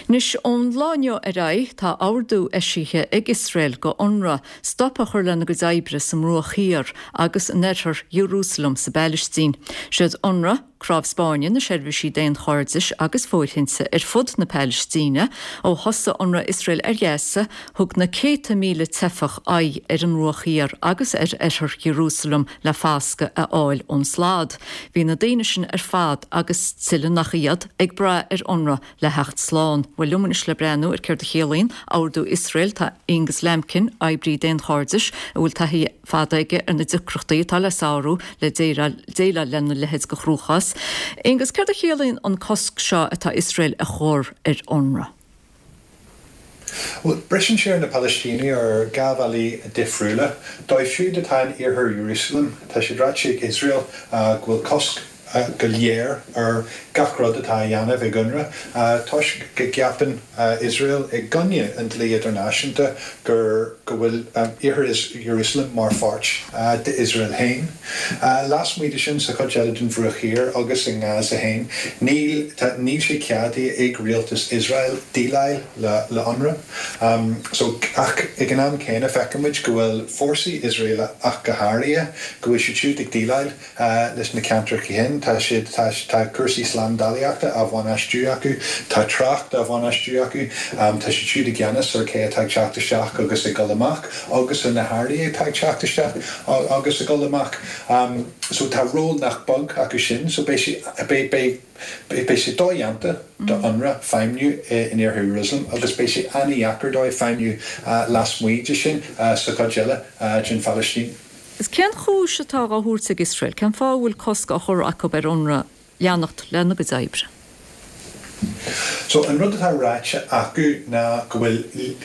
Anois, ón lá inniu ar aghaidh, tá ordú eisithe ag Iosrael go Unrwa stop a chur lena gcuid oibre sa mBruach Thiar agus in oirthear Iarúsailéim sa bPailistín. Siad Unrwa, Cráobh Spáinne na seirbhísí daonchairdis agus fóirthinte ar fud na Pailistíne. Ó thosaigh ionradh Iosrael ar Ghaza, thug na céadta míle teifeach aghaidh ar an mBruach Thiar agus ar oirthear Iarúsailéim le foscadh a fháil ón slad. Bhí na daoine sin ar fad, agus tuilleadh nach iad, ag brath ar Unrwa le theacht slán. Bhuel, liom anois le breathnú ar céard a chiallaíonn ordú Iosrael tá Aonghus Lambkin, oibrí daonchairdis a bhfuil taithí fada aige ar na deacrachtaí atá le sárú le déileáil lena leithéid de chruachás. Aonghus, céard a chiallaíonn an cosc seo atá Iosrael a chur ar Unrwa? Bhuel, briseann sé ar na Palaistínigh ar dha bhealaí difriúla. Dóibh siúd atá in iarthar Iarúsailéim, tá sé ráite ag Iosrael go bhfuil cosc go léir ar gach rud atá á dhéanamh ag Unrwa toisc go gceapann Iosrael, i gcoinne an dlí idirnáisiúnta, gur go bhfuil iarthar Iarúsailéim mar pháirt d'Iosrael féin. Lasmuigh de sin, sa chuid eile den Bhruach Thiar agus i nGaza féin, níl tá níl sé ceadaithe ag rialtas Iosrael déileáil le le Unrwa. So, ach ag an am céanna feicimid go bhfuil fórsaí Iosraelacha ach go háirithe, go bhfuil siad siúd ag déileáil leis na ceantracha sin. Tá siad, tá, tá cúrsaí slándálaíochta á bhainistiú acu, tá trácht á bhainistiú acu, tá siad siúd i gceannas ar cé atá ag teacht isteach agus ag dul amach agus ar na hearraí atá ag teacht isteach agus ag dul amach. So tá ról nach beag acu sin. So beidh sé, beidh, beidh, beidh sé dodhéanta do Unrwa feidhmiú in Iarthar Iarúsailéim agus beidh sé an-dheacair dóibh feidhmiú lasmuigh de sin sa chuid eile den Phalaistín. Is cén chúis atá á thabhairt ag Iosrael? Cén fáth a bhfuil cosc á chur acu ar Unrwa leanacht lena gcuid oibre? So, an rud atá ráite acu ná go bhfuil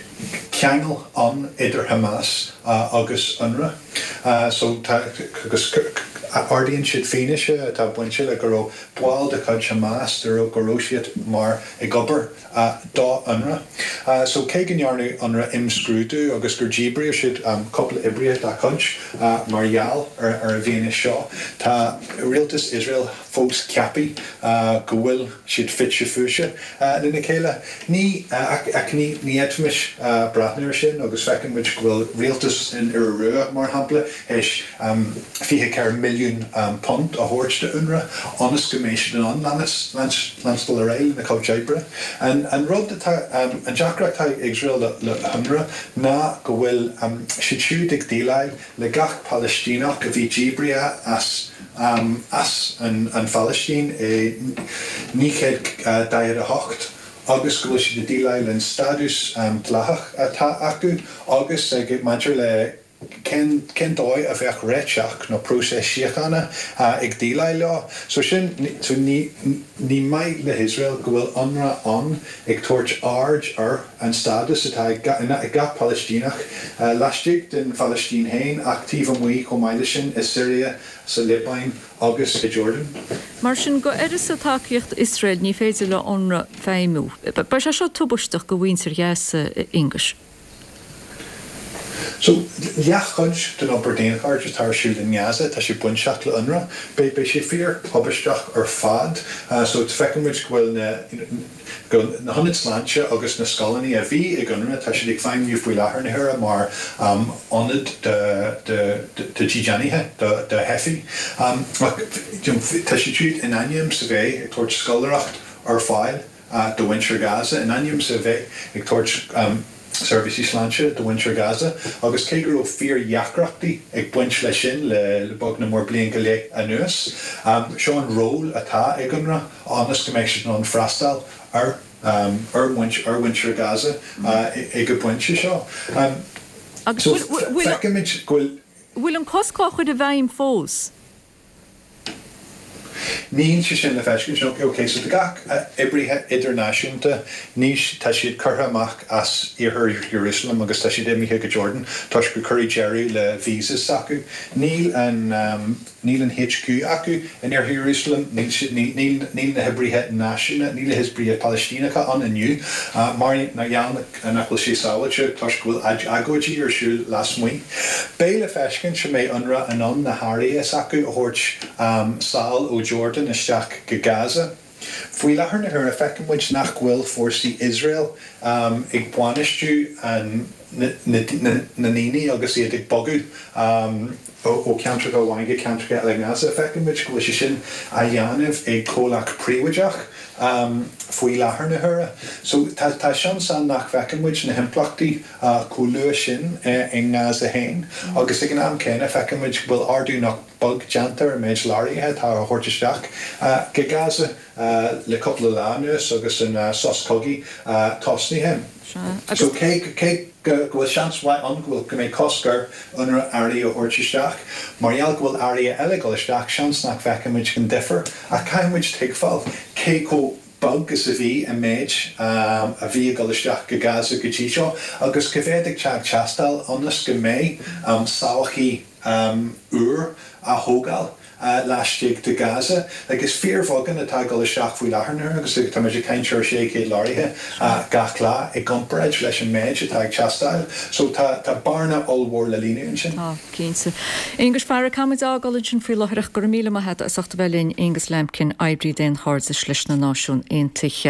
ceangal ann idir Hamas agus Unrwa. So, tá, agus ardaíonn siad fianaise atá bainte le go raibh baill de chuid Hamas, go raibh siad mar ag obair do Unrwa. So, cé go ndearna Unrwa imscrúdú agus gur díbríodh siad cúpla oibrithe dá cuid mar gheall ar an bhfianaise seo, tá rialtas Iosrael fós ceaptha go bhfuil siad fite fuaite lena chéile. Ní, ach ní fhéadfaimis breathnú air sin agus feiceann muid go bhfuil rialtas an Iora Rua, mar shampla, théis £24 milliún a thabhairt do Unrwa ionas go mbeidh siad in ann leanstan ar aghaidh lena cuid oibre. An rud atá, an deacracht atá ag Iosrael le hUnrwa ná go bhfuil siad siúd ag déileáil le gach Palaistíneach a bhí díbrithe as as an Phalaistín i 1948 agus go bhfuil siad ag déileáil len stádús dleathach atá acu agus maidir le Cén, cén dóigh a bheadh réiteach nó próiseas síochána ag déileáil leo? So sin, so ní, ní maith le hIosrael go bhfuil Unrwa ann ag tabhairt aird ar an stádas atá ag, ag gach Palaistíneach laistigh den Phalaistín féin ach taobh amuigh chomh maith leis sin i Siria, sa Liobáin agus i Jordan. Mar sin, go uireasa tacaíocht Iosrael ní féidir le Unrwa feidhmiú. Beidh sé seo tubaisteach go mhuintir Ghaza, a Aonghuis. So, leathchuid den obair daonchairdis atá ar siúl i nGaza, tá sé bainteach le Unrwa. Beidh, beidh sé fíor-thubaisteach ar fad. So, feiceann muid go bhfuil na, go bhfuil na hionaid sláinte agus na scoileanna a bhí ag Unrwa, tá siad ag feidhmiú faoi láthair na huaire mar ionad do, do, do dhídeanaithe, do, do theifigh. Ach, you know, tá siad siúd in ainm is a bheith ag tabhairt scoláireacht ar fáil. do mhuintir Gaza, in ainm is a bheith ag tabhairt seirbhísí sláinte do mhuintir Gaza, agus cé go raibh fíordheacrachtaí ag baint leis sin le beag nach mór bliain go leith anuas, seo an ról atá ag Unrwa ionas go mbeidh siad in ann freastal ar ar mhuintir Gaza ag an bpointe seo. Agus feicimid go bhfuil. bhfuil an cosc á chur i bhfeidhm fós? Níl sé sin le feiscint. Ok, so tá gach oibrithe idirnáisiúnta, ní, tá siad curtha amach as iarthar Iarúsailéim agus tá siad imithe go Jordan toisc gur cuireadh deireadh le visas s'acu. Níl an, níl an HQ acu in iarthar Iarúsailéim, níl siad, níl, níl, níl na hoibrithe náisiúna, níl na hoibrithe Palaistíneacha ann inniu mar gheall nach bhfuil sé sábháilte toisc go bhfuil agóidí ar siúl lasmuigh. Beidh le feiscint an mbeidh Unrwa in ann na hearraí s'acu a thabhairt sall ó Jordan isteach go Gaza. Faoi láthair na huaire, feiceann muid nach bhfuil fórsaí Iosrael ag bainistiú na ndaoine agus iad ag bogadh ó cheantracha amháin go ceantracha eile i nGaza. Feiceann muid go bhfuil sé sin á dhéanamh ag comhlacht príobháideach faoi láthair na huaire. So tá seans ann nach bhfeicfidh muid na himpleachtaí chomh luath sin i nGaza féin agus ag an am céanna feiceann muid go bhfuil ardú nach beag déanta ar an méid leoraithe atá á thabhairt isteach go Gaza le cúpla lá anuas agus an sos cogaidh tosnaithe. So cé go bhfuil seans mhaith ann go bhfuil go mbeidh cosc ar UNRWA earraí a thabhairt isteach, mar gheall go bhfuil earraí eile ag dul isteach, seans nach bhfeicfidh muid an difear. Ach caithfidh muid tuigbheáil cé chomh beag is a bhí an méid a bhí ag dul isteach go Gaza go dtí seo agus cá mhéad atá ag teastáil ionas go mbeidh sochaí úr á thógáil laistigh de Gaza. Like, is fíorbheagán atá ag dul isteach faoi láthair na huaire agus tá muid ag caint ar 600 leoraithe gach lá i gcomparáid leis an méid atá ag teastáil. So tá tá bearna ollmhór le líonadh ansin. Tá, cinnte. Aonghus, fara, caithfidh muid a fhágáil ansin faoi láthair ach go raibh míle maith agat as ucht a bheith linn, Aonghus Lambkin, oibrí daonchairdis leis na Náisiúin Aontaithe.